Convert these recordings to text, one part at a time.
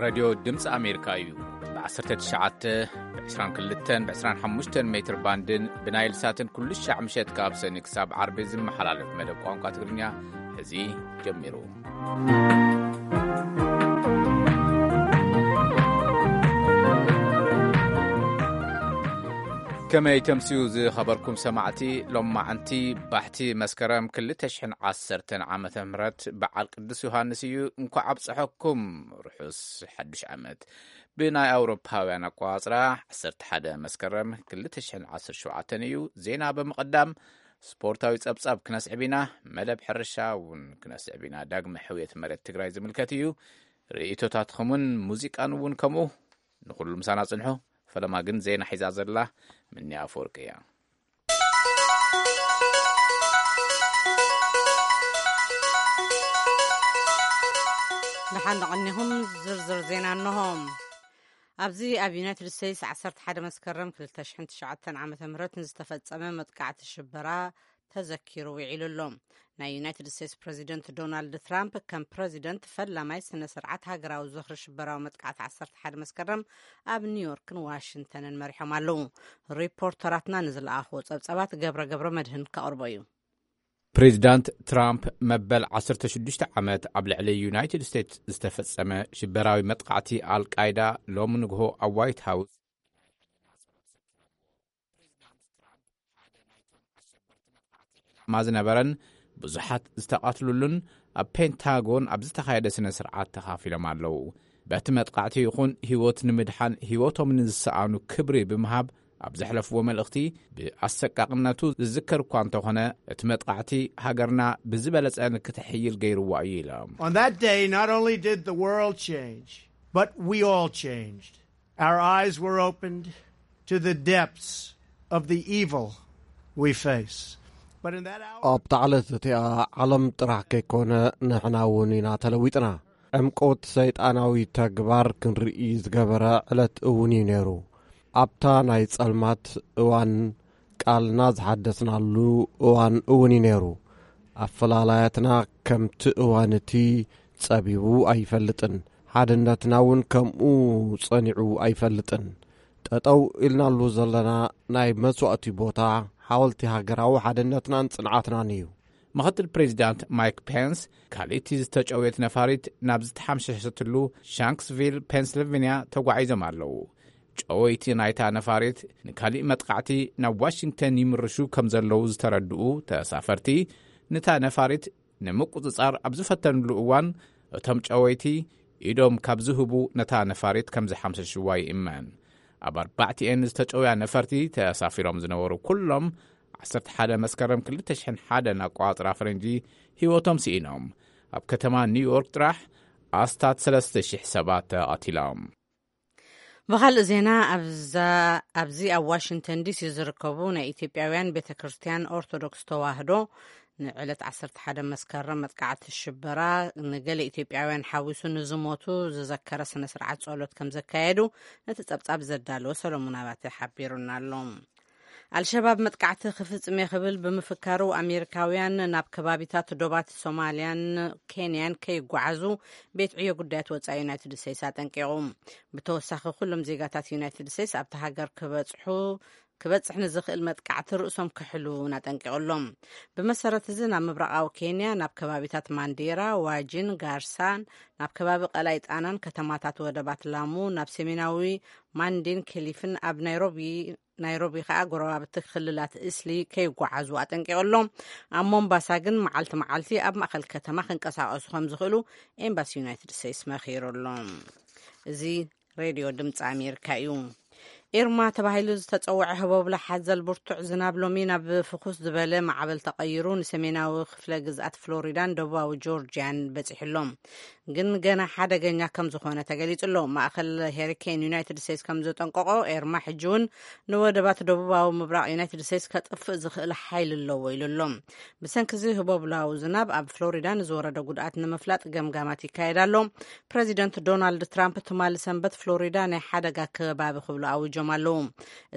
ሬድዮ ድምፂ ኣሜሪካ እዩ። ብ19፣ ብ22፣ ብ25 ሜትር ባንድን ብናይል ሳትን ኩሉ ሻዕ ምሸት ካብ ሰኒ ክሳብ ዓርቢ ዝመሓላለፍ መደብ ቋንቋ ትግርኛ እዚ ጀሚሩ። ከመይ ተምስዩ ዝኸበርኩም ሰማዕቲ? ሎማዓንቲ ባሕቲ መስከረም ክልተ ሽሕን ዓሰርተን ዓመተ ምህረት በዓል ቅዱስ ዮሃንስ እዩ። እንኳዕ ኣብፀሐኩም። ርሑስ ሓዱሽ ዓመት። ብናይ ኣውሮፓውያን ኣቋጽራ ዓሰርተ ሓደ መስከረም ክልተ ሽሕን ዓሰርተ ሸውዓተን እዩ። ዜና ብምቕዳም ስፖርታዊ ጸብጻብ ክነስዕብ ኢና። መደብ ሕርሻ እውን ክነስዕብ ኢና። ዳግመ ሕውየት መሬት ትግራይ ዝምልከት እዩ። ርእይቶታትኹምን ሙዚቃን እውን ከምኡ። ንኹሉ ምሳና ጽንሑ። ፈለማ ግን ዜና ሒዛ ዘላ ምንያ ኣፈወርቂ እያ። ደሓን ደቐኒኹም። ዝርዝር ዜና እንሆ። ኣብዚ ኣብ ዩናይትድ ስቴትስ ዓሰርተ ሓደ መስከረም ክልተ ሽሕን ትሽዓተን ዓመተ ምህረት ንዝተፈጸመ መጥቃዕቲ ሽበራ ተዘኪሩ ውዒሉ ኣሎ። ናይ ዩናይትድ ስቴትስ ፕረዚደንት ዶናልድ ትራምፕ ከም ፕረዚደንት ፈላማይ ስነ ስርዓት ሃገራዊ ዝኽሪ ሽበራዊ መጥቃዕቲ ዓሰርተ ሓደ መስከረም ኣብ ኒውዮርክን ዋሽንግተንን መሪሖም ኣለዉ። ሪፖርተራትና ንዝለኣኽዎ ጸብጻባት ገብረ ገብረ መድህን ከቕርቦ እዩ። ፕሬዚዳንት ትራምፕ መበል ዓሰርተ ሽዱሽተ ዓመት ኣብ ልዕሊ ዩናይትድ ስቴትስ ዝተፈጸመ ሽበራዊ መጥቃዕቲ ኣልቃይዳ ሎሚ ንግሆ ኣብ ዋይት ሃውስ ዕላማ ዝነበረን ብዙሓት ዝተቐትሉሉን ኣብ ፔንታጎን ኣብ ዝተኻየደ ስነ ስርዓት ተኻፊሎም ኣለዉ። በቲ መጥቃዕቲ ይኹን ህይወት ንምድሓን ህይወቶም ንዝሰኣኑ ክብሪ ብምሃብ ኣብ ዘሕለፍዎ መልእኽቲ፣ ብኣሰቃቕነቱ ዝዝከር እኳ እንተኾነ፣ እቲ መጥቃዕቲ ሃገርና ብዝበለጸ ንክትሕይል ገይርዋ እዩ ኢሎም። On that day, not only did the world change, but we all changed. Our eyes were opened to the depths of the evil we face. But in that hour ኣብታ ዕለት እቲኣ ዓለም ጥራሕ ከይኮነ ንሕና እውን ኢና ተለዊጥና። ዕምቆት ሰይጣናዊ ተግባር ክንርኢ ዝገበረ ዕለት እውን እዩ ነይሩ። ኣብታ ናይ ጸልማት እዋን ቃልና ዝሓደስናሉ እዋን እውን እዩ ነይሩ። ኣፈላላያትና ከምቲ እዋን እቲ ጸቢቡ ኣይፈልጥን። ሓድነትና እውን ከምኡ ጸኒዑ ኣይፈልጥን። ጠጠው ኢልናሉ ዘለና ናይ መስዋእቲ ቦታ ሓወልቲ ሃገራዊ ሓድነትናን ጽንዓትናን እዩ። ምኽትል ፕሬዚዳንት ማይክ ፔንስ ካልእቲ ዝተጨውየት ነፋሪት ናብ ዝተሓምሸሸትሉ ሻንክስቪል ፔንስልቬንያ ተጓዒዞም ኣለዉ። ጨወይቲ ናይታ ነፋሪት ንካሊእ መጥቃዕቲ ናብ ዋሽንግተን ይምርሹ ከም ዘለዉ ዝተረድኡ ተሳፈርቲ፣ ነታ ነፋሪት ንምቁጽጻር ኣብ ዝፈተንሉ እዋን፣ እቶም ጨወይቲ ኢዶም ካብ ዝህቡ ነታ ነፋሪት ከም ዝሓምሸሽዋ ይእመን። ኣብ ኣርባዕቲኤን ዝተጨውያ ነፈርቲ ተሳፊሮም ዝነበሩ ኩሎም ዓሰርተ ሓደ መስከረም ክልተ ሽሕን ሓደን ኣቋጽራ ፈረንጂ ህይወቶም ስኢኖም። ኣብ ከተማ ኒውዮርክ ጥራሕ ኣስታት ሰለስተ ሽሕ ሰባት ተቐቲሎም። ብኻልእ ዜና፣ ኣብዛ-፣ ኣብዚ ኣብ ዋሽንግተን ዲሲ ዝርከቡ ናይ ኢትዮጵያውያን ቤተ ክርስቲያን ኦርቶዶክስ ተዋህዶ ንዕለት ዓሰርተ ሓደ መስከረም መጥቃዕቲ ሽበራ ንገለ ኢትዮጵያውያን ሓዊሱ ንዝሞቱ ዝዘከረ ስነ ስርዓት ጸሎት ከም ዘካየዱ እቲ ጸብጻብ ዘዳለወ ሰሎሞን ኣባተ ሓቢሩና ኣሎ። ኣልሸባብ መጥቃዕቲ ክፍጽም እየ ክብል ብምፍካሩ፣ ኣሜሪካውያን ናብ ከባቢታት ዶባት ሶማልያን ኬንያን ከይጓዓዙ ቤት ዕዮ ጉዳያት ወጻኢ ዩናይትድ ስቴትስ ኣጠንቂቑ። ብተወሳኺ፣ ኩሎም ዜጋታት ዩናይትድ ስቴትስ ኣብቲ ሃገር ክበጽሑ፣ ክበጽሕ ንዝኽእል መጥቃዕቲ ርእሶም ክሕሉ እውን ኣጠንቂቑሎም። ብመሰረት እዚ፣ ናብ ምብራቓዊ ኬንያ፣ ናብ ከባቢታት ማንዴራ፣ ዋጂን፣ ጋርሳን፣ ናብ ከባቢ ቀላይ ጣናን ከተማታት ወደባት ላሙ፣ ናብ ሰሜናዊ ማንዴን ክሊፍን ኣብ ናይሮቢ ናይሮቢ ከኣ ጎረባብቲ ክልላት እስሊ ከይጓዓዙ ኣጠንቂቑ ኣሎ። ኣብ ሞምባሳ ግን መዓልቲ መዓልቲ ኣብ ማእከል ከተማ ክንቀሳቐሱ ከም ዝኽእሉ ኤምባሲ ዩናይትድ ስቴትስ መኺሩ ኣሎ። እዚ ሬድዮ ድምፂ ኣሜሪካ እዩ። ኤርማ ተባሂሉ ዝተጸውዐ ህቦብላ ሓዘል ብርቱዕ ዝናብ ሎሚ ናብ ፍኹስ ዝበለ ማዕበል ተቐይሩ ንሰሜናዊ ክፍለ ግዝኣት ፍሎሪዳን ደቡባዊ ጆርጂያን በጺሑ ኣሎ። ግን ገና ሓደገኛ ከም ዝኾነ ተገሊጹ ኣሎ። ማእከል ሄሪኬን ዩናይትድ ስቴትስ ከም ዘጠንቀቆ፣ ኤርማ ሕጂ እውን ንወደባት ደቡባዊ ምብራቕ ዩናይትድ ስቴትስ ከጥፍእ ዝኽእል ሓይሊ ኣለዎ ኢሉ ኣሎ። ብሰንኪ እዚ ህቦብላዊ ዝናብ ኣብ ፍሎሪዳ ንዝወረደ ጉድኣት ንምፍላጥ ገምጋማት ይካየድ ኣሎ። ፕረዚደንት ዶናልድ ትራምፕ ትማሊ ሰንበት ፍሎሪዳ ናይ ሓደጋ ከባቢ ክብሉ ኣውጆ። ኣለዉ።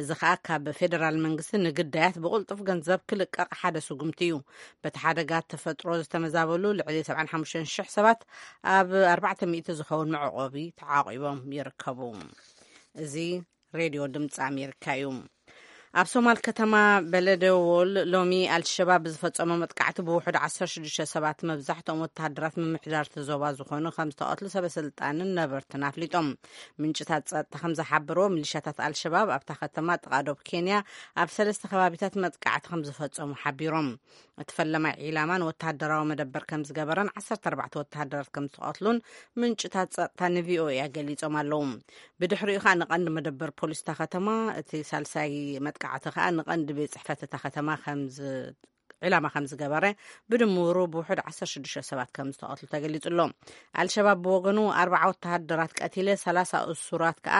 እዚ ኸኣ ካብ ፌደራል መንግስቲ ንግዳያት ብቕልጡፍ ገንዘብ ክልቀቕ ሓደ ስጉምቲ እዩ። በቲ ሓደጋ ተፈጥሮ ዝተመዛበሉ ልዕሊ ሰብዓን ሓሙሽተን ሽሕ ሰባት ኣብ ኣርባዕተ ሚእቲ ዝኸውን መዕቆቢ ተዓቂቦም ይርከቡ። እዚ ሬድዮ ድምፂ ኣሜሪካ እዩ። ኣብ ሶማል ከተማ በለደዎል ሎሚ ኣልሸባብ ብዝፈጸሞ መጥቃዕቲ ብውሑድ ዓሰርተ ሽዱሽተ ሰባት፣ መብዛሕትኦም ወተሃደራት ምምሕዳር እቲ ዞባ ዝኾኑ፣ ከም ዝተቐትሉ ሰበ ስልጣንን ነበርትን ኣፍሊጦም። ምንጭታት ጸጥታ ከም ዝሓበርዎ፣ ሚሊሻታት ኣልሸባብ ኣብታ ከተማ ጥቓ ዶብ ኬንያ ኣብ ሰለስተ ከባቢታት መጥቃዕቲ ከም ዝፈጸሙ ሓቢሮም። እቲ ፈለማይ ዒላማ ንወተሃደራዊ መደበር ከም ዝገበረን ዓሰርተ ኣርባዕተ ወተሃደራት ከም ዝተቐትሉን ምንጭታት ጸጥታ ንቪኦኤ ገሊጾም ኣለዉ። ብድሕሪኡ ከኣ ንቐንዲ መደበር ፖሊስ እታ ከተማ፣ እቲ ሳልሳይ መጥቃዕቲ ከኣ ንቐንዲ ቤት ጽሕፈት እታ ከተማ ከም ዝ-፣ ዒላማ ከም ዝገበረ፣ ብድምሩ ብውሑድ ዓሰርተ ሽዱሽተ ሰባት ከም ዝተቐትሉ ተገሊጹ ኣሎ። ኣልሸባብ ብወገኑ፣ ኣርባዓ ወተሃደራት ቀቲለ፣ ሰላሳ እሱራት ከኣ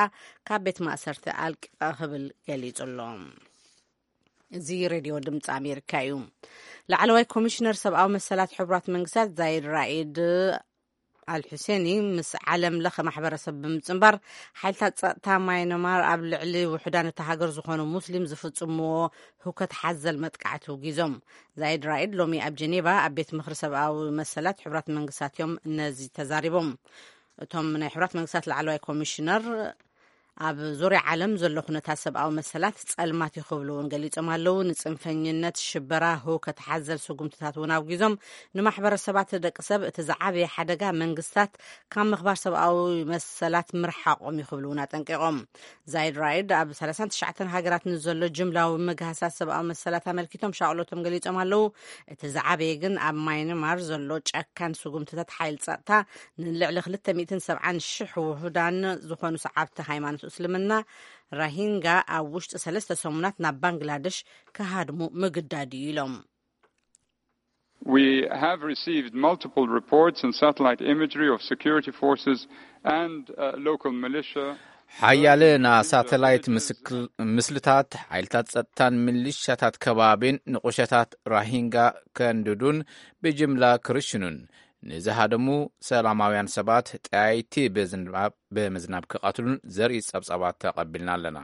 ካብ ቤት ማእሰርቲ ኣልቂቐ ክብል ገሊጹ ኣሎ። እዚ ሬድዮ ድምፂ ኣሜሪካ እዩ። ላዕለዋይ ኮሚሽነር ሰብኣዊ መሰላት ሕቡራት መንግስታት ዛይድ ራኢድ ኣልሑሴኒ ምስ ዓለም ለኸ ማሕበረሰብ ብምጽንባር፣ ሓይልታት ጸጥታ ማይነማር ኣብ ልዕሊ ውሑዳን እታ ሃገር ዝኾኑ ሙስሊም ዝፍጽምዎ ህውከት ሓዘል መጥቃዕቲ ውጊዞም። ዛይድ ራኢድ ሎሚ ኣብ ጀኔቫ ኣብ ቤት ምኽሪ ሰብኣዊ መሰላት ሕቡራት መንግስታት እዮም ነዚ ተዛሪቦም። እቶም ናይ ሕቡራት መንግስታት ላዕለዋይ ኮሚሽነር፣ ኣብ ዙርያ ዓለም ዘሎ ኩነታት ሰብኣዊ መሰላት ጸልማት እዩ ክብሉ እውን ገሊጾም ኣለዉ። ንጽንፈኝነት፣ ሽበራ፣ ህውከት ሓዘል ስጉምትታት እውን ኣውጊዞም፣ ንማሕበረሰባት ደቂ ሰብ እቲ ዝዓበየ ሓደጋ መንግስታት ካብ ምኽባር ሰብኣዊ መሰላት ምርሓቖም እዩ ክብሉ እውን ኣጠንቂቖም። ዛይድ ራይድ ኣብ ሰላሳን ትሽዓተን ሃገራት ንዘሎ ጅምላዊ ምግሃሳት ሰብኣዊ መሰላት ኣመልኪቶም ሻቕሎቶም ገሊጾም ኣለዉ። እቲ ዝዓበየ ግን ኣብ ማይንማር ዘሎ ጨካን ስጉምትታት ሓይል ጸጥታ፣ ንልዕሊ ክልተ ሚእትን ሰብዓን ሽሕ ውሑዳን ዝኾኑ ሰዓብቲ ሃይማኖት እስልምና ራሂንጋ ኣብ ውሽጢ ሰለስተ ሰሙናት ናብ ባንግላደሽ ክሃድሙ ምግዳድ እዩ ኢሎም። We have received multiple reports and satellite imagery of security forces and uh, local militia. ሓያለ ናይ ሳተላይት ምስልታት ሓይልታት ጸጥታን ሚሊሻታት ከባቢን ንቑሸታት ራሂንጋ ከንድዱን ብጅምላ ክርሽኑን ንዝሃደሙ ሰላማውያን ሰባት ጠያይቲ ብምዝናብ ክቐትሉን ዘርኢ ጸብጻባት ተቐቢልና ኣለና።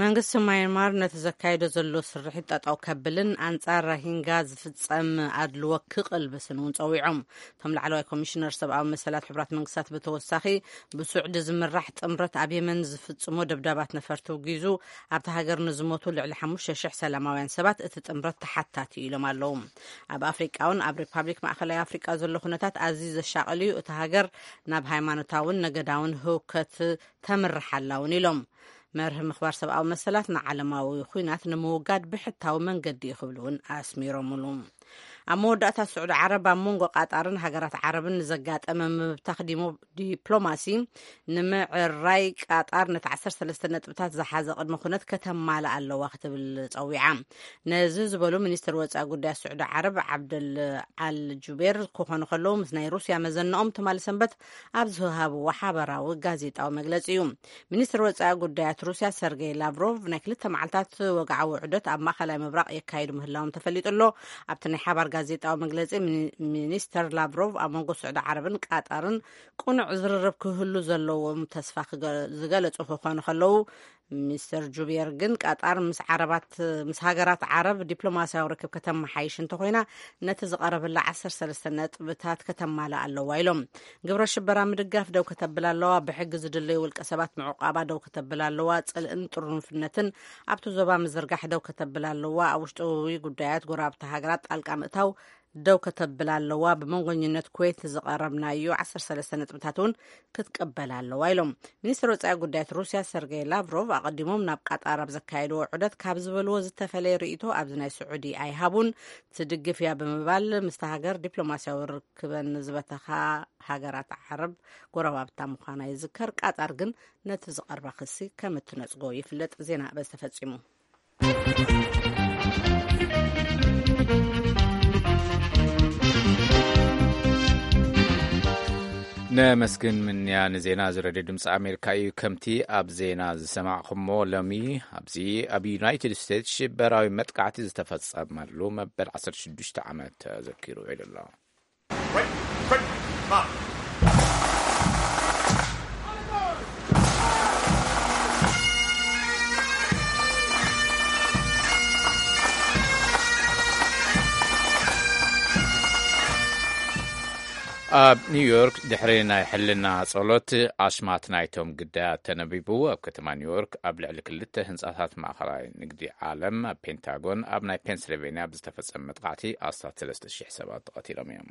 መንግስቲ ማይንማር ነቲ ዘካይዶ ዘሎ ስርሒት ጠጠው ከብልን ኣንጻር ራሂንጋ ዝፍጸም ኣድልዎ ክቕልብስን እውን ጸዊዖም። እቶም ላዕለዋይ ኮሚሽነር ሰብኣዊ መሰላት ሕቡራት መንግስታት ብተወሳኺ ብሱዕዲ ዝምራሕ ጥምረት ኣብ የመን ዝፍጽሞ ደብዳባት ነፈርቲ ውጊዙ ኣብቲ ሃገር ንዝሞቱ ልዕሊ ሓሙሽተ ሽሕ ሰላማውያን ሰባት እቲ ጥምረት ተሓታቲ እዩ ኢሎም ኣለዉ። ኣብ ኣፍሪቃ እውን ኣብ ሪፓብሊክ ማእኸላይ ኣፍሪቃ ዘሎ ኩነታት ኣዝዩ ዘሻቕል እዩ። እቲ ሃገር ናብ ሃይማኖታውን ነገዳውን ህውከት ተምርሓላ እውን ኢሎም። መርህ ምኽባር ሰብኣዊ መሰላት ንዓለማዊ ኹናት ንምውጋድ ብሕታዊ መንገዲ እዩ ክብሉ እውን ኣስሚሮምሉ። ኣብ መወዳእታ ስዑዲ ዓረብ ኣብ መንጎ ቃጣርን ሃገራት ዓረብን ንዘጋጠመ ምብታኽ ዲፕሎማሲ ንምዕራይ ቃጣር ነቲ ዓሰርተ ሰለስተ ነጥብታት ዝሓዘ ቅድመ ኩነት ከተማልእ ኣለዋ ክትብል ጸዊዓ። ነዚ ዝበሉ ሚኒስትር ወፃኢ ጉዳያት ስዑዲ ዓረብ ዓብደል ኣል ጁቤር ክኾኑ ከለዉ ምስ ናይ ሩስያ መዘንኦም ትማሊ ሰንበት ኣብ ዝሃብዎ ሓበራዊ ጋዜጣዊ መግለፂ እዩ። ሚኒስትር ወፃኢ ጉዳያት ሩስያ ሰርጌይ ላቭሮቭ ናይ ክልተ መዓልታት ወግዓዊ ውዕደት ኣብ ማእኸላይ ምብራቕ የካይዱ ምህላዎም ተፈሊጡ ኣሎ። ኣብቲ ናይ ሓባር ጋዜጣዊ መግለፂ ሚኒስተር ላቭሮቭ ኣብ መንጎ ስዑዲ ዓረብን ቃጣርን ቅኑዕ ዝርርብ ክህሉ ዘለዎም ተስፋ ዝገለፁ ክኾኑ ከለዉ፣ ሚስተር ጁቤር ግን ቃጣር ምስ ዓረባት ምስ ሃገራት ዓረብ ዲፕሎማስያዊ ርክብ ከተመሓይሽ እንተኾይና ነቲ ዝቐረበላ ዓሰርተ ሰለስተ ነጥብታት ከተማልእ ኣለዋ ኢሎም። ግብረ ሽበራ ምድጋፍ ደው ከተብል ኣለዋ፣ ብሕጊ ዝድለዩ ውልቀ ሰባት ምዕቋባ ደው ከተብል ኣለዋ፣ ጽልእን ጥርንፍነትን ኣብቲ ዞባ ምዝርጋሕ ደው ከተብል ኣለዋ፣ ኣብ ውሽጣዊ ጉዳያት ጎረባብቲ ሃገራት ጣልቃ ምእታው ደው ከተብል ኣለዋ፣ ብመንጎኝነት ኩዌት ዝቐረብናዮ ዓሰርተ ሰለስተ ነጥብታት እውን ክትቅበል ኣለዋ ኢሎም። ሚኒስትር ወፃኢ ጉዳያት ሩስያ ሰርጌይ ላቭሮቭ ኣቐዲሞም ናብ ቃጣር ኣብ ዘካየድዎ ዑደት ካብ ዝበልዎ ዝተፈለየ ርእይቶ ኣብዚ ናይ ስዑዲ ኣይሃቡን። ትድግፍ እያ ብምባል ምስቲ ሃገር ዲፕሎማስያዊ ርክበን ዝበተኻ ሃገራት ዓረብ ጎረባብታ ምዃና ይዝከር። ቃጣር ግን ነቲ ዝቐርባ ክሲ ከም እትነጽጎ ይፍለጥ። ዜና በዚ ተፈጺሙ። ነመስግን ምንያ ንዜና እዚ ሬድዮ ድምፂ ኣሜሪካ እዩ። ከምቲ ኣብ ዜና ዝሰማዕኹሞ ሎሚ ኣብዚ ኣብ ዩናይትድ ስቴትስ ሽበራዊ መጥቃዕቲ ዝተፈጸመሉ መበል ዓሰርተ ሽዱሽተ ዓመት ተዘኪሩ ውዒሉ ኣሎ። Right, right, mark. ኣብ ኒውዮርክ ድሕሪ ናይ ሕልና ጸሎት ኣሽማት ናይቶም ግዳያት ተነቢቡ። ኣብ ከተማ ኒውዮርክ ኣብ ልዕሊ ክልተ ህንጻታት ማእኸላይ ንግዲ ዓለም ኣብ ፔንታጎን ኣብ ናይ ፔንስልቬንያ ብዝተፈጸመ መጥቃዕቲ ኣስታት ሰለስተ ሽሕ ሰባት ተቐቲሎም እዮም።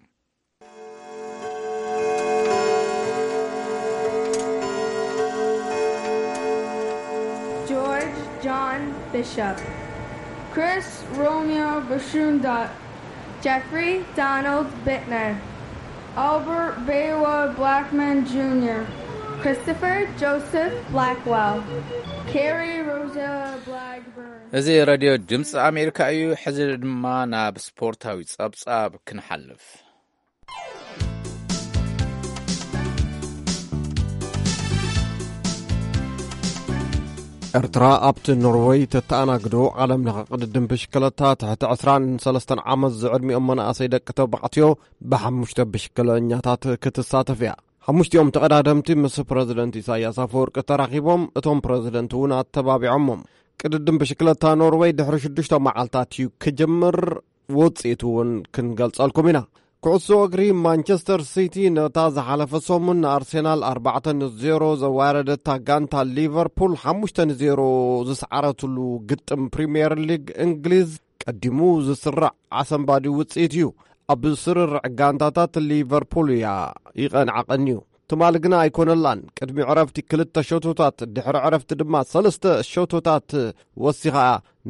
George John Bishop, Chris Romeo Bashunda, Jeffrey Donald Bittner, Albert Bewa Blackman Junior, Christopher Joseph Blackwell, Carrie Rosella Blackburn. እዚ ሬድዮ ድምፂ ኣሜሪካ እዩ። ሕዚ ድማ ናብ ስፖርታዊ ፀብፃብ ክንሓልፍ። ኤርትራ ኣብቲ ኖርወይ ተተኣናግዶ ዓለም ለኸ ቅድድም ብሽክለታ ትሕቲ ዕስራን ሰለስተን ዓመት ዝዕድሚኦም መናእሰይ ደቂ ተባዕትዮ ብሓሙሽተ ብሽክለኛታት ክትሳተፍ እያ። ሓሙሽቲኦም ተቐዳደምቲ ምስ ፕረዚደንት ኢሳያስ ኣፈወርቂ ተራኺቦም፣ እቶም ፕረዚደንት እውን ኣተባቢዖሞም። ቅድድም ብሽክለታ ኖርወይ ድሕሪ ሽዱሽተ መዓልታት እዩ ክጅምር። ውፅኢቱ እውን ክንገልጸልኩም ኢና። ኩዕሶ እግሪ ማንቸስተር ሲቲ ነታ ዝሓለፈ ሰሙን ንኣርሴናል ኣርባዕተ ንዜሮ ዘዋረደታ ጋንታ ሊቨርፑል ሓሙሽተ ንዜሮ ዝሰዓረትሉ ግጥም ፕሪምየር ሊግ እንግሊዝ ቀዲሙ ዝስራዕ ኣሰንባዲ ውፅኢት እዩ። ኣብ ስርርዕ ጋንታታት ሊቨርፑል እያ ይቐንዓ ቀንዩ። ትማሊ ግና ኣይኮነላን። ቅድሚ ዕረፍቲ ክልተ ሸቶታት፣ ድሕሪ ዕረፍቲ ድማ ሰለስተ ሸቶታት ወሲኻ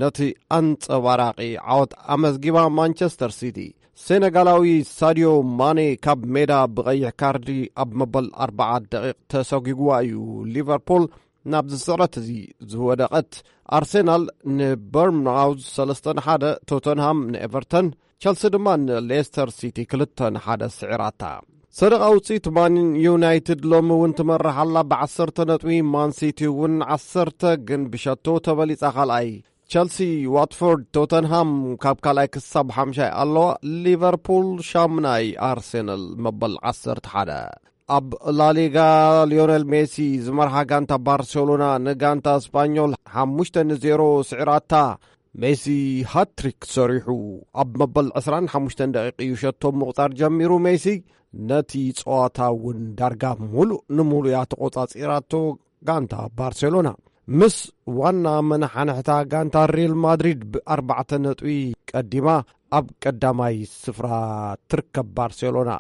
ነቲ ኣንጸባራቒ ዓወት ኣመዝጊባ። ማንቸስተር ሲቲ፣ ሴነጋላዊ ሳድዮ ማኔ ካብ ሜዳ ብቐይሕ ካርዲ ኣብ መበል ኣርብዓ ደቂቕ ተሰጒግዋ እዩ ሊቨርፑል ናብዚ ስዕረት እዚ ዝወደቐት። ኣርሴናል ንበርንማውዝ ሰለስተ ንሓደ፣ ቶተንሃም ንኤቨርተን፣ ቸልሲ ድማ ንሌስተር ሲቲ ክልተ ንሓደ ስዒራታ። ሰደቓ ውፅኢት ማን ዩናይትድ ሎሚ እውን ትመርሕ ኣላ ብዓሰርተ ነጥቢ፣ ማን ሲቲ እውን ዓሰርተ ግን ብሸቶ ተበሊፃ ካልኣይ። ቸልሲ፣ ዋትፎርድ፣ ቶተንሃም ካብ ካልኣይ ክሳብ ሓምሻይ ኣለዋ። ሊቨርፑል ሻምናይ፣ ኣርሴናል መበል ዓሰርተ ሓደ። ኣብ ላሊጋ ሊዮኔል ሜሲ ዝመርሓ ጋንታ ባርሴሎና ንጋንታ ስፓኞል ሓሙሽተ ንዜሮ ስዒራታ። ሜሲ ሃትሪክ ሰሪሑ ኣብ መበል ዕስራን ሓሙሽተን ደቂቕ እዩ ሸቶ ምቑጻር ጀሚሩ። ሜሲ ነቲ ጸዋታ እውን ዳርጋ ሙሉእ ንሙሉእ እያ ተቖጻጺራቶ። ጋንታ ባርሴሎና ምስ ዋና መናሓንሕታ ጋንታ ሪል ማድሪድ ብኣርባዕተ ነጥቢ ቀዲማ ኣብ ቀዳማይ ስፍራ ትርከብ። ባርሴሎና፣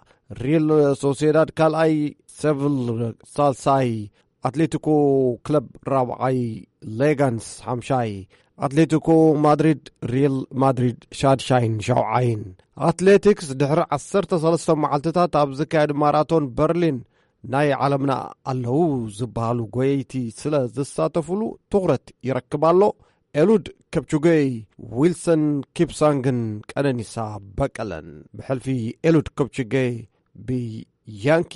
ሪል ሶሴዳድ ካልኣይ፣ ሴቪል ሳልሳይ፣ ኣትሌቲኮ ክለብ ራብዓይ፣ ሌጋንስ ሓምሻይ፣ ኣትሌቲኮ ማድሪድ፣ ሪል ማድሪድ ሻድሻይን ሻውዓይን። ኣትሌቲክስ፣ ድሕሪ ዓሰርተ ሰለስተ መዓልትታት ኣብ ዝካየድ ማራቶን በርሊን ናይ ዓለምና ኣለዉ ዝበሃሉ ጎየይቲ ስለ ዝሳተፉሉ ትኹረት ይረክብ ኣሎ። ኤሉድ ከፕቹገይ፣ ዊልሰን ኪፕሳንግን ቀነኒሳ በቀለን። ብሕልፊ ኤሉድ ከፕቹገይ ብያንኪ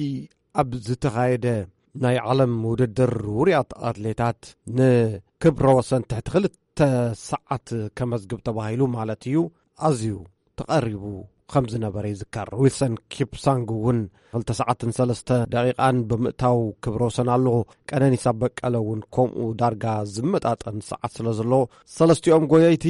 ኣብ ዝተኻየደ ናይ ዓለም ውድድር ውሩያት ኣትሌታት ንክብረ ወሰን ትሕቲ ክልተ ሰዓት ከመዝግብ ተባሂሉ ማለት እዩ፣ ኣዝዩ ተቐሪቡ ከም ዝነበረ ይዝከር። ዊልሰን ኪፕሳንግ እውን ክልተ ሰዓትን ሰለስተ ደቂቓን ብምእታው ክብረ ወሰን ኣለዎ። ቀነኒሳ በቀለ እውን ከምኡ ዳርጋ ዝመጣጠን ሰዓት ስለ ዘለዎ፣ ሰለስቲኦም ጎየይቲ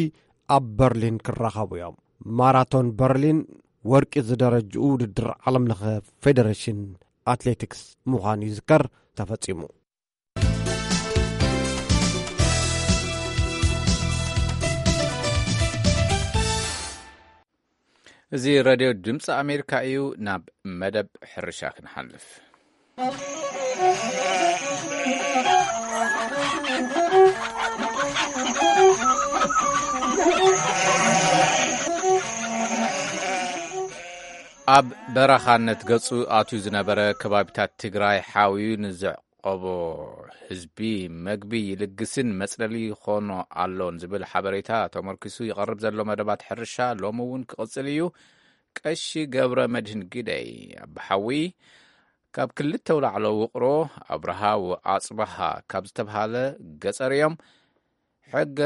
ኣብ በርሊን ክራኸቡ እዮም። ማራቶን በርሊን ወርቂ ዝደረጅኡ ውድድር ዓለም ለኸ ፌደሬሽን ኣትሌቲክስ ምዃኑ ይዝከር፣ ተፈጺሙ። እዚ ሬድዮ ድምፂ ኣሜሪካ እዩ። ናብ መደብ ሕርሻ ክንሓልፍ። ኣብ በረኻነት ገጹ ኣትዩ ዝነበረ ከባቢታት ትግራይ ሓውዩ ንዘዕቆቦ ህዝቢ መግቢ ይልግስን መጽለሊ ይኾኖ ኣሎን ዝብል ሓበሬታ ተመርኪሱ ይቐርብ ዘሎ መደባት ሕርሻ ሎሚ እውን ክቕጽል እዩ። ቀሺ ገብረ መድህን ግደይ ኣባሓዊ ካብ ክልተ ኣውላዕሎ ውቕሮ ኣብርሃ ወኣጽብሃ ካብ ዝተብሃለ ገጸር እዮም። ሕገ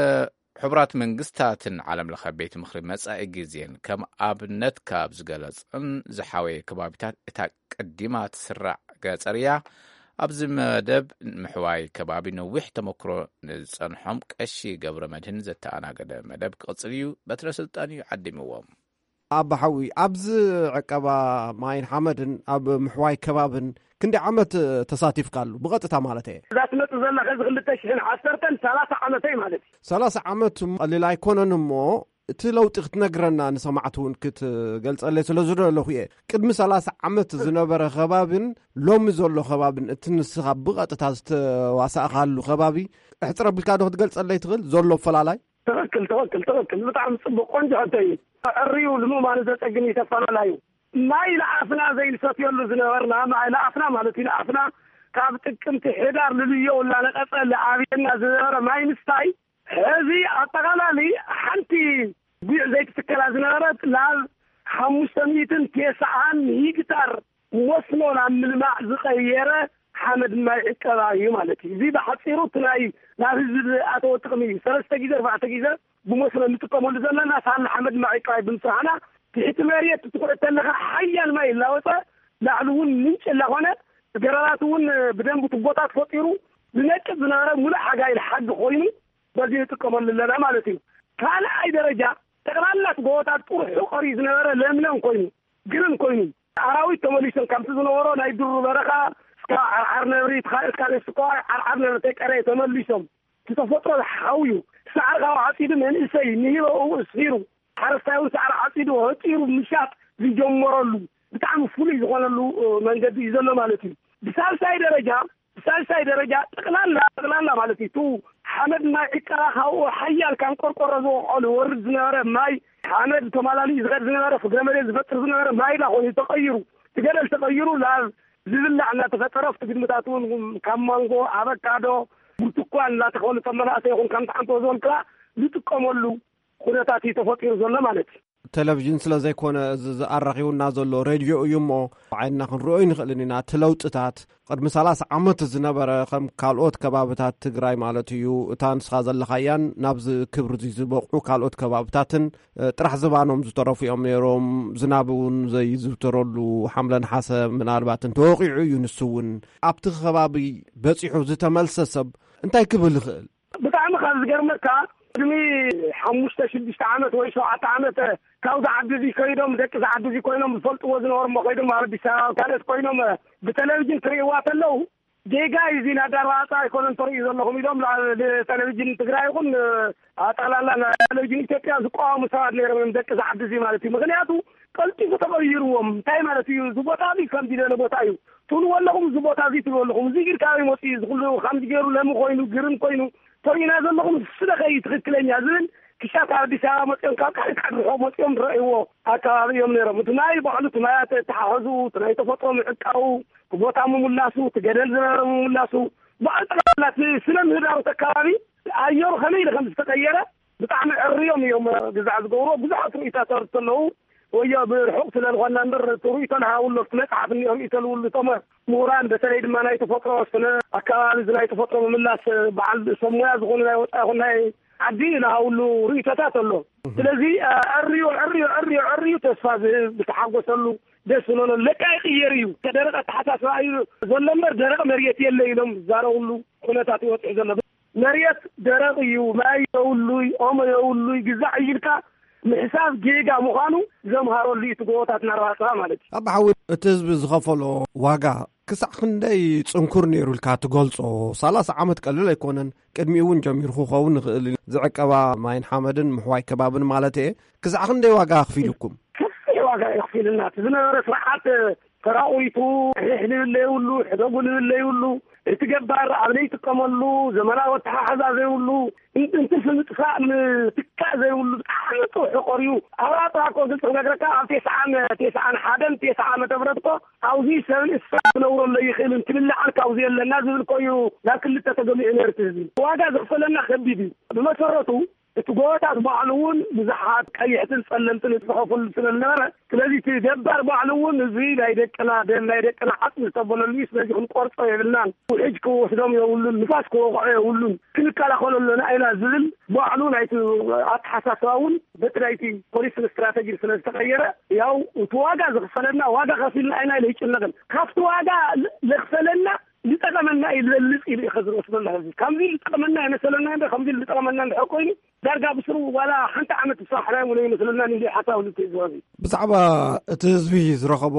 ሕቡራት መንግስታትን ዓለም ለኸ ቤት ምኽሪ መጻኢ ግዜን ከም ኣብነት ካብ ዝገለጸን ዝሓወየ ከባቢታት እታ ቀዲማ ትስራዕ ገጸር እያ። ኣብዚ መደብ ምሕዋይ ከባቢ ነዊሕ ተመክሮ ንዝጸንሖም ቀሺ ገብረ መድህን ዘተኣናገደ መደብ ክቕጽል እዩ። በትረ ስልጣን እዩ ዓዲምዎም። ኣባ ሓዊ፣ ኣብዚ ዕቀባ ማይን ሓመድን ኣብ ምሕዋይ ከባብን ክንዲ ዓመት ተሳቲፍካሉ ብቐጥታ ማለት እየ? እዛ ትመጽእ ዘላ ከዚ ክልተ ሽሕን ዓሰርተን ሰላሳ ዓመተይ ማለት እዩ። ሰላሳ ዓመት ቀሊል ኣይኮነን እሞ፣ እቲ ለውጢ ክትነግረና ንሰማዕቲ እውን ክትገልጸለይ ስለ ዝደለኹ እየ። ቅድሚ ሰላሳ ዓመት ዝነበረ ከባብን ሎሚ ዘሎ ከባብን፣ እቲ ንስኻ ብቐጥታ ዝተዋሳእካሉ ከባቢ፣ እሕጽር ኣቢልካ ዶ ክትገልጸለይ ትኽእል ዘሎ ኣፈላላይ? ትኽክል፣ ትኽክል፣ ትኽክል። ብጣዕሚ ጽቡቕ፣ ቆንጆ ሕቶ እዩ። ዕርዩ ልምማኑ ዘጸግም እዩ ተፈላላዩ። ማይ ለኣፍና ዘይንሰትየሉ ዝነበርና፣ ማይ ለኣፍና ማለት እዩ፣ ለኣፍና ካብ ጥቅምቲ ሕዳር ልልዮ እናነቐጸ ለኣብየና ዝነበረ ማይ ምስታይ፣ ሕዚ ኣጠቓላሊ ሓንቲ ጒዕ ዘይትትከላ ዝነበረት ናብ ሓሙሽተ ሚእትን ተስዓን ሂክታር መስኖ ናብ ምልማዕ ዝቐየረ ሓመድ ማይ ዕቀባ እዩ ማለት እዩ። እዚ ብሓጺሩ እቲ ናይ ናብ ህዝቢ ዝኣተወ ጥቕሚ እዩ። ሰለስተ ግዜ፣ ኣርባዕተ ግዜ ብመስኖ እንጥቀመሉ ዘለና ሳላ ሓመድ ማይ ዕቀባ ብምስራሕና፣ ትሕቲ መሬት ትኹዕት ተለኻ ሓያል ማይ እናወፀ ላዕሊ እውን ምንጭ እናኾነ፣ ገረባት እውን ብደንቡ ቱቦታት ፈጢሩ ዝነቅጽ ዝነበረ ሙሉእ ሓጋይ ሓጊ ኮይኑ በዚ ንጥቀመሉ ኣለና ማለት እዩ። ካልኣይ ደረጃ፣ ጠቕላላ እቲ ጎቦታት ጥርሑ ቀርዩ ዝነበረ ለምለም ኮይኑ፣ ግርም ኮይኑ፣ ኣራዊት ተመሊሶም ካብቲ ዝነበሮ ናይ ዱር በረኻ፣ እስካ ዓርዓር ነብሪ፣ እስካ እስካ እስካ ዓርዓር ነብሪ ተቀረ ተመሊሶም፣ እቲ ተፈጥሮ ሓውዩ፣ ሳዕሪ ካብ ዓጺዱ መንእሰይ ንሂበኡ እስሂሩ፣ ሓረስታይ እውን ሳዕሪ ዓጺዱ፣ ህጢሩ ምሻጥ ዝጀመረሉ ብጣዕሚ ፍሉይ ዝኾነሉ፣ እ፣ መንገዲ እዩ ዘሎ ማለት እዩ። ብሳልሳይ ደረጃ፣ ብሳልሳይ ደረጃ ጠቕላላ፣ ጠቕላላ ማለት እዩ፣ እቲ ሓመድ ማይ ዕቀባ ካብኡ ሓያል ካብ ቆርቆሮ ዝወቕዖ ዝወርድ ዝነበረ ማይ፣ ሓመድ ተማላሊኡ ዝኸድ ዝነበረ፣ ፍግረ መሬት ዝፈጥር ዝነበረ ማይ ዳ ኮይኑ ተቐይሩ፣ እቲ ገደል ተቐይሩ ናብ ዝብላዕ እናተፈጠረ፣ ኣብቲ ግድምታት እውን ካብ ማንጎ፣ ኣቨካዶ፣ ብርቱኳን እናተኸሉ፣ ከም መናእሰይ ይኹን ከም ተዓንቶ ዝበልክዋ ዝጥቀመሉ ኩነታት እዩ ተፈጢሩ ዘሎ ማለት እዩ። ቴሌቪዥን ስለ ዘይኮነ እዚ ዝኣራኺቡና ዘሎ ሬድዮ እዩ እሞ፣ ዓይንና ክንሪኦ ኣይንኽእልን ኢና። እቲ ለውጥታት ቅድሚ ሰላሳ ዓመት ዝነበረ፣ ከም ካልኦት ከባብታት ትግራይ ማለት እዩ፣ እታ ንስኻ ዘለኻያን ናብዚ ክብሪ እዚ ዝበቕዑ ካልኦት ከባብታትን፣ እ፣ ጥራሕ ዝባኖም ዝተረፉ እዮም ነይሮም። ዝናብ እውን ዘይዝውተረሉ ሓምለ ነሓሰ ምናልባት እንተወቂዑ እዩ ንሱ እውን። ኣብቲ ከባቢ በጺሑ ዝተመልሰ ሰብ እንታይ ክብል ይኽእል? ብጣዕሚ ካብ ዝገርመካ፣ ቅድሚ ሓሙሽተ ሽዱሽተ ዓመት ወይ ሸውዓተ ዓመት ካብዚ ዓዲ እዚ ከይዶም፣ ደቂ እዚ ዓዲ እዚ ኮይኖም ዝፈልጥዎ ዝነበሩ እሞ ከይዶም ኣብ ኣዲስ ኣበባ ካልኦት ኮይኖም ብቴሌቪዥን ክርእይዋ ከለዉ፣ ጌጋ እዩ እዚ፣ ናይ ኣዳርባዕፃ ኣይኮነን ተርእዩ ዘለኹም ኢሎም ናብ ቴሌቪዥን ትግራይ ይኹን ኣጠቕላላ ናይ ቴሌቪዥን ኢትዮጵያ ዝቃወሙ ሰባት ነይሮም እዮም፣ ደቂ እዚ ዓዲ እዚ ማለት እዩ። ምኽንያቱ ቀልጢፉ ተቐይርዎም። እንታይ ማለት እዩ? እዚ ቦታ እዚ ከምዚ ዝበለ ቦታ እዩ ትብልዎ ኣለኹም፣ እዚ ቦታ እዚ ትብልዎ ኣለኹም፣ እዚ ግን ካበይ መፅኡ እዩ? እዚ ኩሉ ከምዚ ገይሩ ለሚ ኮይኑ፣ ግርም ኮይኑ ተሪእና ዘለኹም፣ እሱ ደኸ እዩ ትኽክለኛ ዝብል ክሻብ ካብ ኣዲስ ኣበባ መፅኦም፣ ካብ ካልእ ካብ ርሑቕ መፅኦም ዝረእይዎ ኣከባቢ እዮም ነይሮም። እቲ ማይ ባዕሉ፣ እቲ ማያት ኣተሓሕዝኡ፣ እቲ ናይ ተፈጥሮ ምዕቃቡ፣ እቲ ቦታ ምምላሱ፣ እቲ ገደል ዝነበረ ምምላሱ፣ ባዕሉ ጠቕላላ እቲ ስነ ምህዳሩ እቲ ኣከባቢ ኣየሩ ከመይ ኢሉ ከም ዝተቐየረ ብጣዕሚ ዕርዮም እዮም ግዛዕ ዝገብሩ። ብዙሓት ርእይቶታት ኣለዉ። ወዮ ብርሑቕ ስለ ዝኾንና እምበር፣ እቲ ርእይቶ ንሃብሉ፣ ኣብቲ መጽሓፍ እኒኦ ርእይቶ ዝብሉ እቶም ምሁራን፣ በተለይ ድማ ናይ ተፈጥሮ ስነ ኣከባቢ፣ እዚ ናይ ተፈጥሮ ምምላስ በዓል ሰብ ሞያ ዝኾኑ ናይ ወጻኢ ይኹን ናይ ዓዲ ንሃብሉ ርእይቶታት ኣሎ። ስለዚ፣ እ፣ ዕርዩ፣ ዕርዩ፣ ዕርዩ፣ ዕርዩ ተስፋ ዝህብ፣ ዝተሓጎሰሉ፣ ደስ ዝብለሉ፣ ለካ ይቕየር እዩ። ደረቕ ኣተሓሳስባ እዩ ዘሎ እምበር፣ ደረቕ መሬት የለ ኢሎም ዝዛረብሉ ኩነታት ይወጽዕ ዘሎ። መሬት ደረቕ እዩ፣ ማይ የብሉይ፣ ኦሞ የብሉይ፣ ግዛዕ እዩ ኢልካ ምሕሳብ ጌጋ ምዃኑ ዘምሃረሉ እዩ፣ እቲ ጎቦታት እናረባፅባ ማለት እዩ። ኣባ ሓዊ፣ እቲ ህዝቢ ዝኸፈሎ ዋጋ ክሳዕ ክንደይ ጽንኩር ነይሩ ኢልካ ትገልጾ? ሰላሳ ዓመት ቀሊል ኣይኮነን። ቅድሚኡ እውን ጀሚሩ ክኸውን ይኽእል እዩ። ዝዕቀባ ማይን ሓመድን ምሕዋይ ከባብን ማለት እየ። ክሳዕ ክንደይ ዋጋ ኣኽፊሉኩም? ሰፊሕ ዋጋ የኽፊልና። እቲ ዝነበረ ስርዓት ተራቑቱ፣ ሕሕ ዝብል ዘይብሉ፣ ሕደጉ ዝብል ዘይብሉ፣ እቲ ገባር ኣብ ዘይጥቀመሉ፣ ዘመናዊ ኣተሓሕዛ ዘይብሉ፣ ን-፣ እንትርፊ ምጥፋእ ምትካእ ዘይብሉ፣ ብጣዕሚ ጥውሑ ቀርዩ። ኣብራጥራ እኮ ግልፂ ክነግረካ፣ ኣብ ተስዓን፣ ተስዓን ሓደን ተስዓ ዓመተ ምህረት እኮ ኣብዚ ሰብ እንስሳ ክነብረሉ ኣይኽእልን፣ ክብል ዓርካ ኣብዚ የለና ዝብል እኮ እዩ ናብ ክልተ ተገሚዑ ነይሩ እቲ ህዝቢ። ዋጋ ዘኽፈለና ከቢድ እዩ። ብመሰረቱ እቲ ጎቦታት ባዕሉ እውን ብዙሓት ቀይሕትን ጸለምትን ዝጽሐፉሉ ስለ ዝነበረ፣ ስለዚ እቲ ገባር ባዕሉ እውን እዚ ናይ ደቅና ደም፣ ናይ ደቅና ዓጽሚ ዝተበለሉ እዩ፣ ስለዚ ክንቆርጾ የብልናን፣ ውሕጅ ክወስዶም የብሉን፣ ንፋስ ክወቕዖ የብሉን፣ ክንከላኸሎ ኣለና ኢና ዝብል ባዕሉ ናይቲ ኣተሓሳስባ እውን በቲ ናይቲ ፖሊስን ስትራተጂን ስለ ዝተቐየረ፣ ያው እቲ ዋጋ ዝኽፈለና ዋጋ ከፊልና ኢና ኢለ ይጭነቕን። ካብቲ ዋጋ ለ-፣ ለኽፈለና ዝጠቐመና እዩ ዝበልፅ ኢሉ እዩ ከዝርኦ ስለላ። ሕዚ ከምዚ ዝጠቐመና ይመሰለና እንደ ከምዚ ዝጠቐመና እንድሕር ኮይኑ ዳርጋ ብስሩ ዋላ ሓንቲ ዓመት ዝሰራሕናዮ እውን ኣይመስለናን እንዲ ሓሳብ ልትእዝዋዚ። ብዛዕባ እቲ ህዝቢ ዝረኸቦ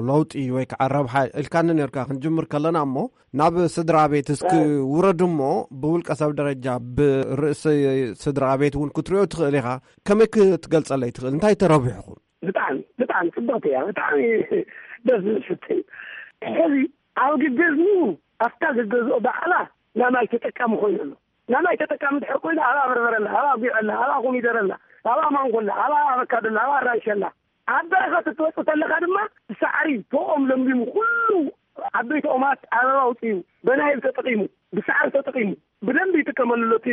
ለውጢ ወይ ከዓ ረብሓ ኢልካኒ ነርካ ክንጅምር ከለና እሞ ናብ ስድራ ቤት እስኪ ውረድ እሞ ብውልቀ ሰብ ደረጃ ብርእሲ ስድራ ቤት እውን ክትሪኦ ትኽእል ኢኻ። ከመይ ክትገልጸለይ ትኽእል? እንታይ ተረቢሕኹም? ብጣዕሚ ብጣዕሚ ጽብቕቲ እያ። ብጣዕሚ ደስ ዝብል ሕቶ እዩ። ሕዚ ኣብ ግገዝኡ ኣብታ ግገዝኦ ባዕላ ናማይ ተጠቃሚ ኮይኑ ኣሎ። ናማይ ተጠቃሚ ድሕር ኮይኑ ኣብኣ በርበረላ፣ ኣብኣ ጉዕላ፣ ኣብኣ ኮሚደረላ፣ ኣብኣ ማንጎላ፣ ኣብኣ ኣቨካዶላ፣ ኣብኣ ኣራንሸላ፣ ኣብ በረኸት እትወፅእ ተለኻ ድማ ብሳዕሪ ፎኦም ለምሊሙ ኩሉ ዓበይቲ ኦማት ኣበባ ኣውፅኡ፣ በናይብ ተጠቂሙ፣ ብሳዕሪ ተጠቂሙ ብደንብ ይጥቀመሉ ኣሎ። እቲ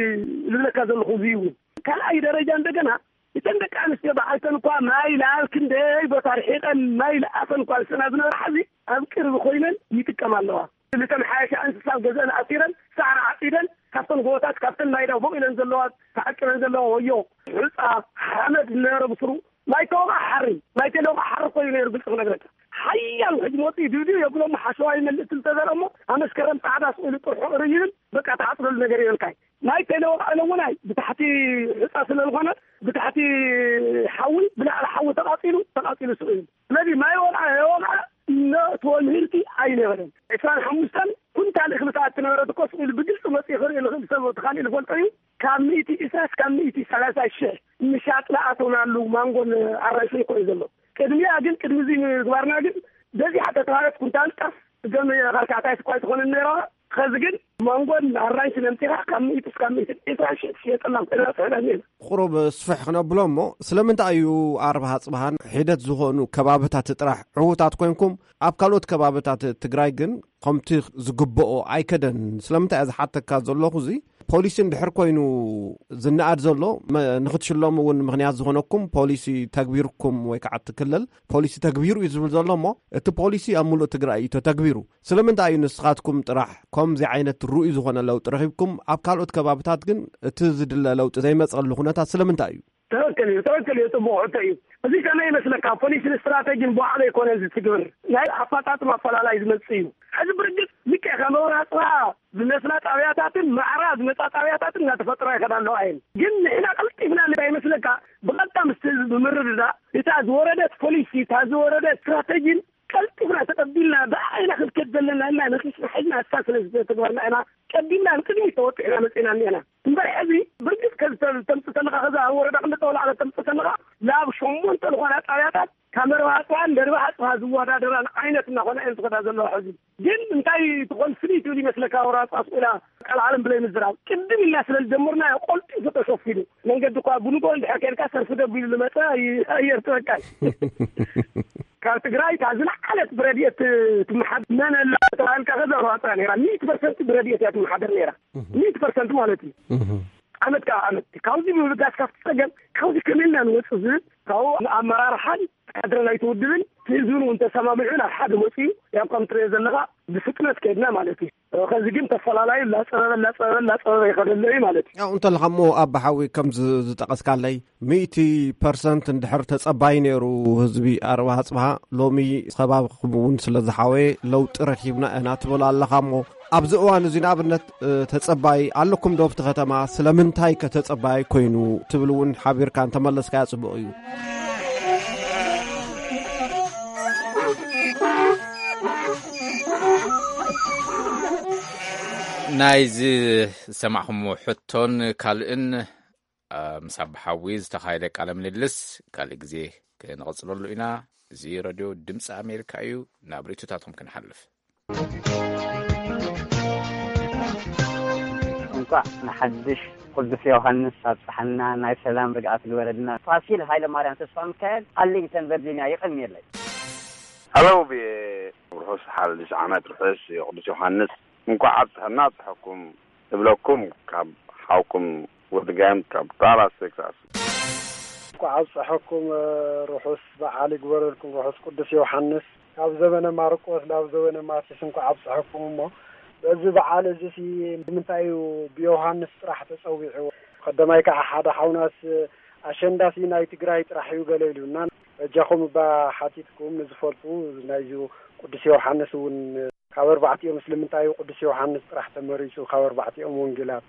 ዝብለካ ዘለኹ እዚ እውን ካልኣይ ደረጃ እንደገና እተን ደቂ ኣንስትዮ በዓልተን እኳ ማይ ለኣብ ክንደይ ቦታ ርሒቐን ማይ ለኣፈን እኳ ዝስና ዝነበራ ሕዚ ኣብ ቅርቢ ኮይነን ይጥቀማ ኣለዋ። ዝተመሓየሻ እንስሳ ኣብ ገዝአን ኣሲረን ሳዕሪ ዓፂደን ካብተን ጎቦታት ካብተን ማይ ዳቦቕ ኢለን ዘለዋ ተዓቂበን ዘለዋ ወዮ፣ ሑፃ፣ ሓመድ ዝነበረ ብስሩ ማይ ተወቕዓ ሓሪ፣ ማይ ተለወቕዓ ሓሪ ኮይኑ ነይሩ። ግልፂ ክነግረካ ሓያል ሕጂ መፂኡ ድብድብ የብሎም ሓሸዋ ይመልእ ትልተዘር እሞ ኣመስከረም ፃዕዳ ስኢሉ ጥርሑ ርይብል በቃ ተዓፅደሉ ነገር ይበልካይ። ማይ ተለወቕዐ ለውናይ ብታሕቲ ሑፃ ስለ ዝኾነ ብታሕቲ ሓዊ ብላዕሊ ሓዊ ተቓፂሉ ተቓፂሉ ስኢሉ። ስለዚ ማይ ወቕዐ የወቕዐ እነእትዎ ምህርቲ ኣይነበረን። ዕስራን ሓሙሽተን ኩንታል እኽሊ ሰዓት ትነበረት እኮ ስኢሉ ብግልፂ መፅኡ ክርኢ ልኽእል ሰብ እቲ ካሊእ ልፈልጦ እዩ። ካብ ሚእቲ ዕስራ እስካብ ሚእቲ ሰላሳ ሽሕ ምሻጥ ለኣተውናሉ ማንጎን ኣራንሽን እኮ እዩ ዘሎ። ቅድሚያ ግን ቅድሚ እዚ ምግባርና ግን በዚሓ ተተባበት ኩንታል ጣፍ ገም ካልካዕታይ ስኳይ ትኾንን ነይራ። ኸዚ ግን ማንጎን ኣራንሽን ኣምፂኻ ካብ ሚእቲ እስካብ ሚእቲ ዕስራ ሽሕ ትሽየጠላ ኮይና ፅዕዳ ነይራ። ቁሩብ ስፍሕ ክነብሎ እሞ ስለምንታይ እዩ ኣርባሃ ፅባሃን ሒደት ዝኾኑ ከባብታት ጥራሕ ዕዉታት ኮንኩም ኣብ ካልኦት ከባብታት ትግራይ ግን ከምቲ ዝግብኦ ኣይከደን? ስለምንታይ እየ ዝሓተካ ዘለኹ እዚ ፖሊሲ እንድሕር ኮይኑ ዝነኣድ ዘሎ መ- ንክትሽለሙ እውን ምክንያት ዝኾነኩም ፖሊሲ ተግቢርኩም ወይ ከዓ እቲ ክልል ፖሊሲ ተግቢሩ እዩ ዝብል ዘሎ እሞ እቲ ፖሊሲ ኣብ ሙሉእ ትግራይ እዩ ተተግቢሩ። ስለምንታይ እዩ ንስኻትኩም ጥራሕ ከምዚ ዓይነት ርኡይ ዝኾነ ለውጢ ረኺብኩም ኣብ ካልኦት ከባብታት ግን እቲ ዝድለ ለውጢ ዘይመፀሉ ኩነታት ስለምንታይ እዩ? ትኽክል እዩ፣ ትኽክል እዩ። ጽቡቕ ሕቶ እዩ። እዚ ከመይ ይመስለካ? ፖሊስን ስትራተጂን ብባዕሉ ኣይኮነን ዝትግብር። ናይ ኣፈጻጽማ ኣፈላላይ ዝመጽእ እዩ። ሕዚ ብርግጽ ልክዕ ከም ኣውራ ጽባ ዝመስላ ጣብያታትን ማዕራ ዝመጻ ጣብያታትን እናተፈጥራ ይኸዳ ኣለዋ እየን። ግን ንሕና ቀልጢፍና እንታይ ይመስለካ? ብቐጥታ ምስቲ ህዝቢ ብምርድዳእ እታ ዝወረደት ፖሊሲ፣ እታ ዝወረደት ስትራተጂን ቀልጢፍና ተቐቢልና ብኣይና ክንከድ ዘለና እና ነኺስና ሒዝና እሳ ስለ ዝተግበርና ኢና ቀቢልና ንቅድሚት ተወጢሕና መፂና እኒአና። እምበር ሕዚ ብርግፅ ከም ተምፅእ ተለካ ከዛ ወረዳ ክልተ ወላዕለ ተምፅእ ተለካ ናብ ሸሞንተ ዝኾና ጣብያታት ካብ መርባ ኣፅዋን ደርባ ኣፅዋ ዝወዳደራን ዓይነት እናኾና እየን ዝኸዳ ዘለዋ። ሕዚ ግን እንታይ ትኾን ፍልይ ትብል ይመስለካ? ወራ ኣፅዋ ስቁላ ቃል ዓለም ብለይ ምዝራብ ቅድም ኢልና ስለ ዝጀመርና ቆልጢ ተሸፊኑ መንገዲ እኳ ብንጎ እንድሕር ከይድካ ሰልፊ ደጉ ኢሉ ዝመፀ ኣየር ትበቃል። ካብ ትግራይ እታ ዝለዓለት ብረድኤት ትመሓደር መን ኣላ ተባሂልካ ከዛ ሩዋፃ ነይራ። ሚእቲ ፐርሰንት ብረድኤት እያ ትመሓደር ነይራ። ሚእቲ ፐርሰንት ማለት እዩ። ዓመት ካብ ዓመት ካብዚ ምብጋስ ካብቲ ፀገም ካብዚ ከመልና ንወፅእ ዝብል ካብኡ ኣመራርሓን ካድረ ናይቲ ውድብን ህዝብን እውን ተሰማሚዑ ናብ ሓደ መፅኡ ያው ከም ትሪኦ ዘለካ ብፍጥነት ከይድና ማለት እዩ። ከዚ ግን ተፈላላዩ እናፀበበ እናፀበበ እናፀበበ ይኸደሎ እዩ ማለት እዩ። ያው እንተለኻ እሞ ኣባሓዊ ከም ዝ- ዝጠቐስካለይ ሚእቲ ፐርሰንት እንድሕር ተጸባይ ነይሩ ህዝቢ ኣርባሃ ጽብሃ ሎሚ ከባብኹም እውን ስለ ዝሓወየ ለውጢ ረኪብና ኢና ትብል ኣለኻ እሞ ኣብዚ እዋን እዚ ንኣብነት ተጸባይ ኣለኩም ዶ ኣብቲ ከተማ? ስለምንታይ ከ ተጸባይ ኮይኑ ትብል እውን ሓቢርካ እንተመለስካያ ጽቡቕ እዩ። ናይዚ ዝሰማዕኹምዎ ሕቶን ካልእን ምስ ኣባሓዊ ዝተኻየደ ቃለ ምልልስ ካልእ ግዜ ክንቕጽለሉ ኢና። እዚ ረድዮ ድምፂ ኣሜሪካ እዩ። ናብ ርእይቶታትኩም ክንሓልፍ። እንኳዕ ንሓድሽ ቅዱስ ዮሃንስ ኣብፀሓና። ናይ ሰላም ርግኣት ግበረልና። ፋሲል ሃይለማርያም ተስፋሚካኤል ኣርሊንግተን ቨርጂኒያ። የቐንየለይ። Hello ብየ ርሑስ ሓድሽ ዓመት ርሑስ ቅዱስ ዮሃንስ እንኳዕ ኣብፀሐና ኣብፀሐኩም እብለኩም ካብ ሓውኩም ወዲ ጋይም ካብ ዳላስ ቴክሳስ። እንኳዕ ኣብፀሐኩም ርሑስ በዓል ይግበረልኩም ርሑስ ቅዱስ ዮሃንስ ካብ ዘበነ ማርቆስ ናብ ዘበነ ማቴዎስ እንኳዕ ኣብፀሐኩም እሞ በዚ በዓል እዚሲ ንምንታይ እዩ ብዮሃንስ ጥራሕ ተፀዊዑ ቀዳማይ ከዓ ሓደ ሓውናስ ኣሸንዳሲ ናይ ትግራይ ጥራሕ እዩ ገለ ኢሉና በጃኹም እባ ሓቲትኩም ንዝፈልጡ ናይዚ ቅዱስ ዮሃንስ እውን ካብ ኣርባዕቲኦም ምስልምንታይ እዩ ቅዱስ ዮሃንስ ጥራሕ ተመሪጹ ካብ ኣርባዕቲኦም ወንጌላት?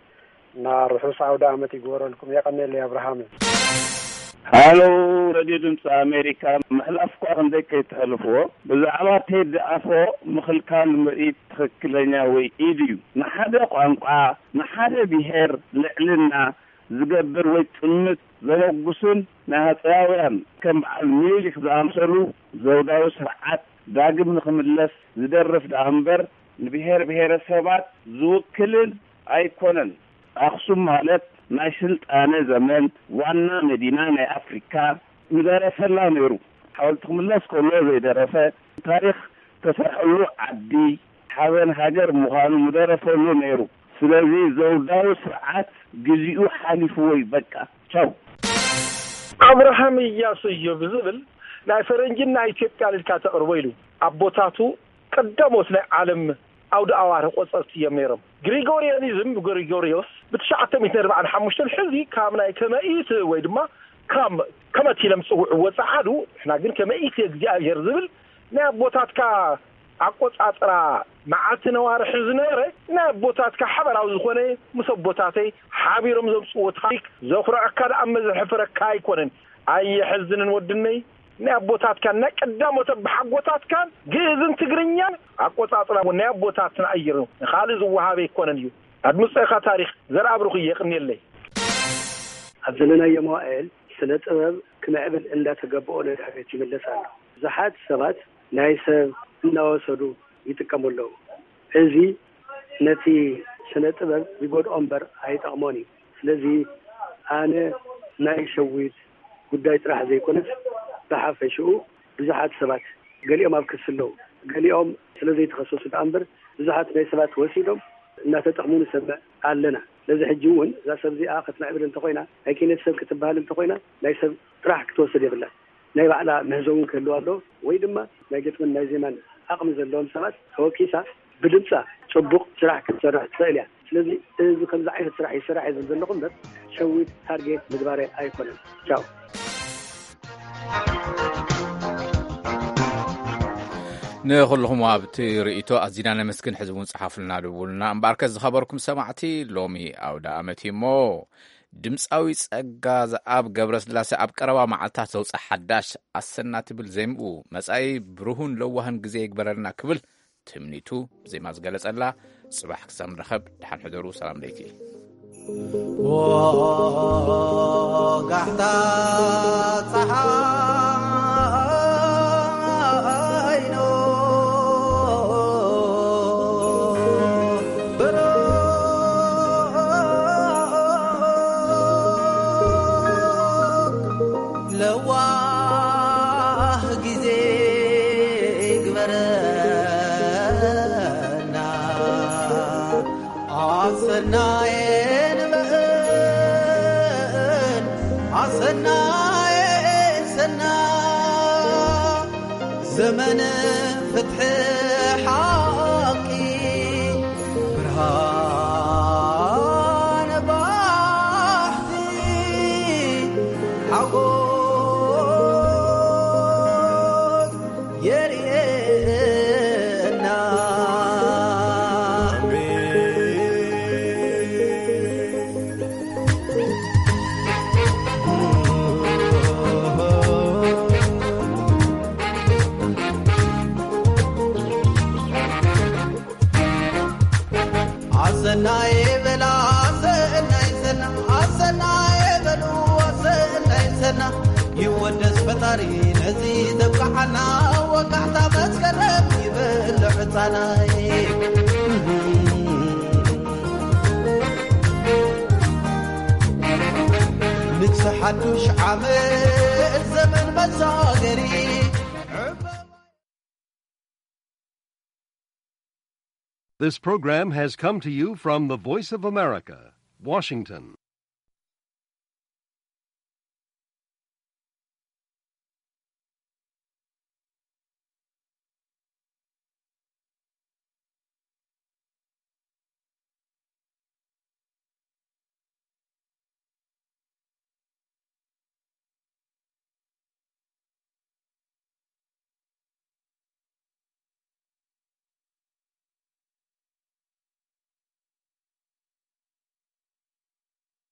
እና ርሑስ ኣውደ ኣመት ይግበረልኩም። የቐኔለይ ኣብርሃም። ሃሎ፣ ሬድዮ ድምፂ ኣሜሪካ፣ ምሕላፍ እኳ ክንደይ ከይተሕልፍዎ፣ ብዛዕባ ቴዲ ኣፍሮ ምኽልካል ምርኢት ትኽክለኛ ወይ ኢድ እዩ። ንሓደ ቋንቋ፣ ንሓደ ብሄር ልዕልና ዝገብር ወይ ጥምት ዘመጉስን ናይ ሃፀያውያን ከም በዓል ሚኒሊክ ዝኣምሰሉ ዘውዳዊ ስርዓት ዳግም ንኽምለስ ዝደርፍ ደኣ እምበር ንብሄር ብሄረሰባት ዝውክልን ኣይኮነን። ኣኽሱም ማለት ናይ ስልጣነ ዘመን ዋና መዲና ናይ ኣፍሪካ ምደረፈላ ነይሩ። ሓወልቲ ክምለስ ከሎ ዘይደረፈ፣ ታሪኽ ተሰርሐሉ ዓዲ ሓበን ሃገር ምዃኑ ምደረፈሉ ነይሩ። ስለዚ ዘውዳዊ ስርዓት ግዚኡ ሓሊፍዎ እዩ። በቃ ቻው። ኣብርሃም እያሱ እዩ ብዝብል ናይ ፈረንጅን ናይ ኢትዮጵያን ኢልካ ተቕርቦ ኢሉ ኣቦታቱ ቀዳሞት ናይ ዓለም ኣውደ ኣዋርህ ቆጸርቲ እዮም ነይሮም። ግሪጎሪያኒዝም፣ ግሪጎሪዮስ፣ ብ945 ሕዚ ካብ ናይ ከመኢት ወይ ድማ ካብ ከመት ኢሎም ዝጽውዕዎ ጸዓዱ፣ ንሕና ግን ከመኢት እግዚኣብሔር ዝብል ናይ ኣቦታትካ ኣቆጻጽራ መዓልቲ ነዋርሒ ዝነበረ ናይ ኣቦታትካ ሓበራዊ ዝኾነ ምስ ኣቦታተይ ሓቢሮም ዘምጽዎ ታሪክ ዘኹርዐካ ደኣ እመ ዘሕፍረካ ኣይኮነን። ኣየሕዝንን ወድነይ፣ ናይ ኣቦታትካን ናይ ቀዳሞት ኣቦሓጎታትካን ግእዝን ትግርኛን ኣቆጻጽራ እውን ናይ ኣቦታትና እዩ። ንኻልእ ዝወሃብ ኣይኮነን እዩ። ኣድምጾ ኢኻ ታሪኽ ዘርኣብሩኽ እየ። የቕንየለይ። ኣብ ዘለናዮ መዋእል ስነ ጥበብ ክምዕብል እንዳተገበኦ ንድሕሪት ይምለስ ኣሎ። ብዙሓት ሰባት ናይ ሰብ እናወሰዱ ይጥቀሙ ኣለዉ። እዚ ነቲ ስነ ጥበብ ይጎድኦ እምበር ኣይጠቕሞን እዩ። ስለዚ ኣነ ናይ ሸዊት ጉዳይ ጥራሕ ዘይኮነስ ብሓፈሽኡ ብዙሓት ሰባት ገሊኦም ኣብ ክሲ ኣለዉ፣ ገሊኦም ስለ ዘይተኸሰሱ ደኣ እምበር ብዙሓት ናይ ሰባት ወሲዶም እናተጠቕሙ ንሰምዕ ኣለና። ስለዚ ሕጂ እውን እዛ ሰብ እዚኣ ክትምዕብል እንተኾይና፣ ናይ ኪነት ሰብ ክትበሃል እንተኾይና ናይ ሰብ ጥራሕ ክትወስድ የብላን። ናይ ባዕላ ምህዞ እውን ክህልዋ ኣለዎ፣ ወይ ድማ ናይ ግጥምን ናይ ዜማን ዓቕሚ ዘለዎም ሰባት ተወኪሳ ብድምጻ ጽቡቕ ስራሕ ክትሰርሕ ትኽእል እያ። ስለዚ እዚ ከምዚ ዓይነት ስራሕ ይስራሕ እየ ዝብል ዘለኹ እምበር ሸዊት ታርጌት ምግባረ ኣይኮነን። ቻው። ንኹልኹም ኣብቲ ርእይቶ ኣዚና ነመስግን። ሕዚ እውን ጸሓፉልና፣ ደውሉልና። እምበኣርከስ ዝኸበርኩም ሰማዕቲ፣ ሎሚ ኣውደ ኣመት እዩ እሞ ድምጻዊ ጸጋ ዘኣብ ገብረስላሴ ኣብ ቀረባ መዓልታት ዘውጽእ ሓዳሽ ኣሰና ትብል ዜምኡ መጻኢ ብሩሁን ለዋህን ግዜ ይግበረልና ክብል ትምኒቱ ብዜማ ዝገለጸላ ጽባሕ ክሳብ ንራኸብ ደሓን ሕደሩ። ሰላም ለይኪ። ወጋሕታ ጸሓይ ኖ ብሩኽ ለዋህ ግዜ ይግበረና። ኣሰናየ ንበል ኣሰናየ ሰና ዘመን ፍትሒ ሓቂ ብርሃን ባሕቲ ሓጎስ የርእየና። ኣሰናይ በላ ኣሰናይ ሰና ኣሰናይ በሉ ኣሰናይ ሰና ይወደስ ፈጣሪ ነዚ ዘብቅዓና ወጋሕታ መስከረም ይበል ሕፃናይ። ንግስ ሓዱሽ ዓመት ዘመን መሳገሪ። This program has come to you from the Voice of America, Washington.